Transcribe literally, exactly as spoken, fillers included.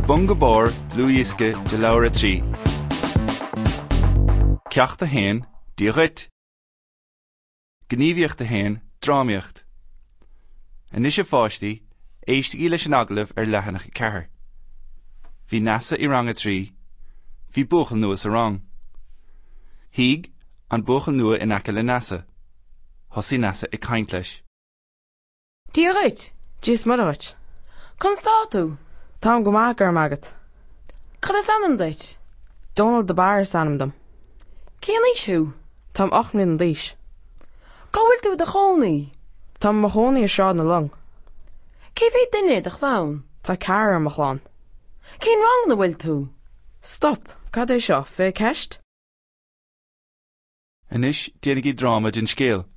Bun go Barr, dlúthdhiosca de leabhar a trí. Ceacht a haon, Dia dhuit! Gníomhaíocht a haon, Drámaíocht. Anois a pháistí, éistigí leis an agallamh ar leathanach a ceathair. Bhí Neasa i rang a trí. Bhí buachaill nua sa rang. Shuigh an buachaill nua in aice le Neasa. Thosaigh Neasa ag caint leis. Dia dhuit! Dia is Muire dhuit. Conas tá tú? Táim go maith, go raibh maith agat. Cad is ainm duit? Dónal de Barra is ainm dom. Cén aois thú? Táim ocht mbliana d'aois. Cá bhfuil tú i do chónaí? Táim i mo chónaí i Sráid na Long. Cé mhéad duine i do chlann? Tá ceathrar i mo chlann. Cén rang ina bhfuil tú? Stop! Cad é seo? Fiche ceist? Anois déanaigí dráma den scéal.